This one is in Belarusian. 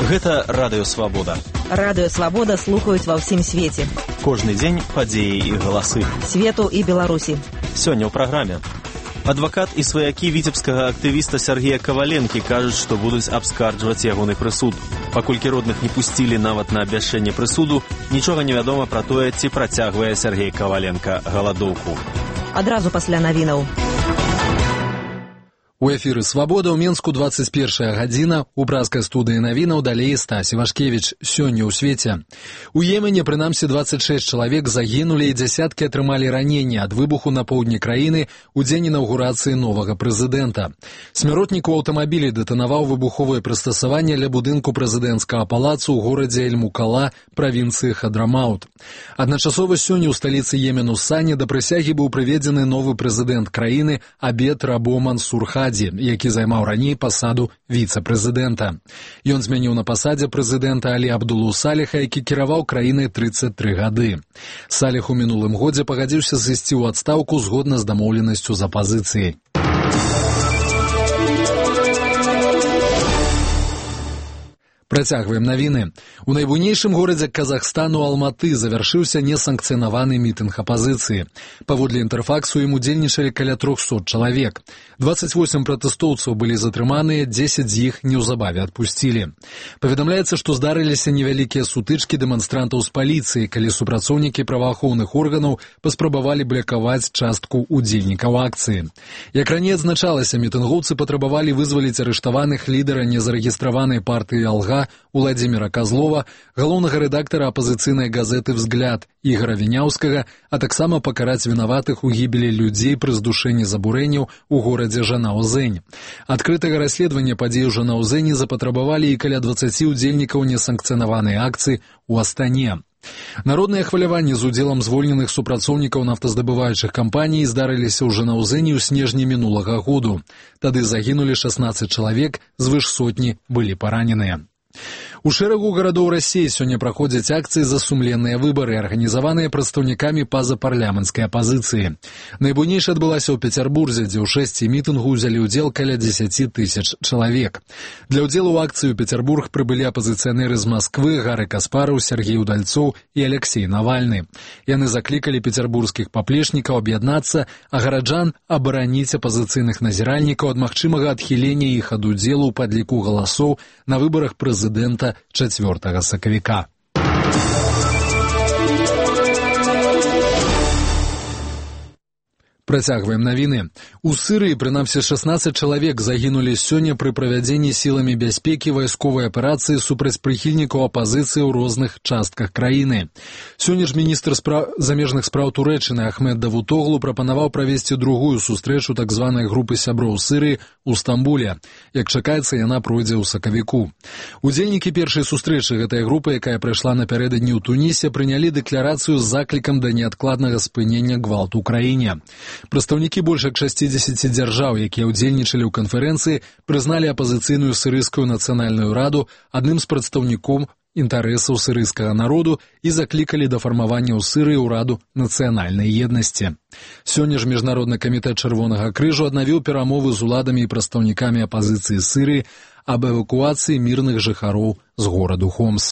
Гэта Радыё Свабода. Радыё Свабода слухаюць ва ўсім свеце. Кожны дзень падзеі і галасы. Свету і Беларусі. Сёння ў праграме. Адвакат і сваякі віцебскага актывіста Сергея Коваленкі кажуць, што будуць абскарджваць ягоны прысуд. Паколькі родных не пусцілі нават на абвяшчэнне прысуду, нічога не вядома пра тое, ці працягвае Сергей Коваленка галадоўку. Адразу пасля навінаў. У эфіры «Свабода» ў Менску 21 гадзіна. У пражскай студыі навінаў далей Стась Івашкевіч. Сёння ў свеце. У Йемене, прынамсі, 26 чалавек загінулі і дзясяткі атрымалі раненні ад выбуху на поўдні краіны ў дзень інаўгурацыі новага прэзідэнта. Смяротнік у аўтамабілі дэтанаваў выбуховае прыстасаванне ля будынку прэзідэнцкага палацу ў горадзе Эль-Мукала, правінцыі Хадрамаут. Адначасова сёння ў сталіцы Йемену Сане да прысягі быў прыведзены новы прэзідэнт краіны Абед Рабо Мансур Хаді, які займаў раней пасаду віцэ-прэзідэнта. Ён змяніў на пасадзе прэзідэнта Алі Абдулу Саліха, які кіраваў краінай 33 гады. Саліх у мінулым годзе пагадзіўся сысці ў адстаўку згодна з дамоўленасцю з апазіцыяй. Працягваем навіны. У найбуйнейшым горадзе Казахстану Алматы завяршыўся несанкцыянаваны мітынг апазіцыі. Паводле інтэрфаксу ім удзельнічалі каля 300 чалавек. 28 пратэстоўцаў былі затрыманыя, 10 з іх неўзабаве адпусцілі. Паведамляецца, што здарыліся невялікія сутычкі дэманстрантаў з паліцыяй, калі супрацоўнікі праваахоўных органаў паспрабавалі блакаваць частку удзельнікаў акцыі. Як раней адзначалася, мітынгоўцы патрабавалі вызваліць арыштаваных лідара незарэгістраванай партыі «Алга» Уладзіміра Казлова, галоўнага рэдактара апазіцыйнай газеты «Взгляд» Ігора Віняўскага, а таксама пакараць вінаватых у гібелі людзей пры здушэнні забурэнняў у горадзе Жанаузень. Адкрытага расследавання падзей у Жанаузені запатрабавалі і каля 20 удзельнікаў несанкцыянаванай акцыі ў Астане. Народныя хваляванні з удзелам звольненых супрацоўнікаў нафтаздабываючых кампаній здарыліся ў Жанаузені ў снежні мінулага году. Тады загінулі 16 чалавек, звыш сотні былі параненыя. У шэрагу гарадоў Расіі сёння праходзяць акцыі за сумленныя выбары, арганізаваныя прадстаўнікамі пазапарламенцкай апазіцыі. Найбуйнейшая адбылася ў Пецярбурзе, дзе ў шэсці мітынгу ўзялі ўдзел каля 10 тысяч чалавек. Для ўдзелу ў акцыі ў Пецярбург прыбылі апазіцыянеры з Масквы Гары Каспараў, Сергей Удальцоў і Алексей Навальны. Яны заклікалі пецярбургскіх паплечнікаў аб'яднацца, а гараджан абараніць апазіцыйных назіральнікаў ад магчымага адхілення іх ад удзелу ў падліку галасоў на выбарах прэзідэнта 4 сакавіка. Працягваем навіны. У Сырыі, прынамсі, 16 чалавек загінулі сёння пры правядзенні сіламі бяспекі вайсковай аперацыі супраць прыхільнікаў апазіцыі ў розных частках краіны. Сёння ж міністр замежных спраў Турэччыны Ахмед Давутоглу прапанаваў правесці другую сустрэчу так званай групы сяброў Сырыі ў Стамбуле. Як чакаецца, яна пройдзе ў сакавіку. Удзельнікі першай сустрэчы гэтай групы, якая прайшла напярэдадні ў Тунісе, прынялі дэкларацыю з заклікам да неадкладнага спынення гвалту ў краіне. Прадстаўнікі больш як 60 дзяржаў, якія ўдзельнічалі ў канферэнцыі, прызналі апазіцыйную сірыйскую нацыянальную раду адным з прадстаўнікоў інтарэсаў сірыйскага народу і заклікалі да фармавання ў Сырыі ўраду нацыянальнай еднасці. Сёння ж Міжнародны камітэт Чырвонага крыжу аднавіў перамовы з уладамі і прадстаўнікамі апазіцыі Сырыі аб эвакуацыі мірных жыхароў з гораду Хомс.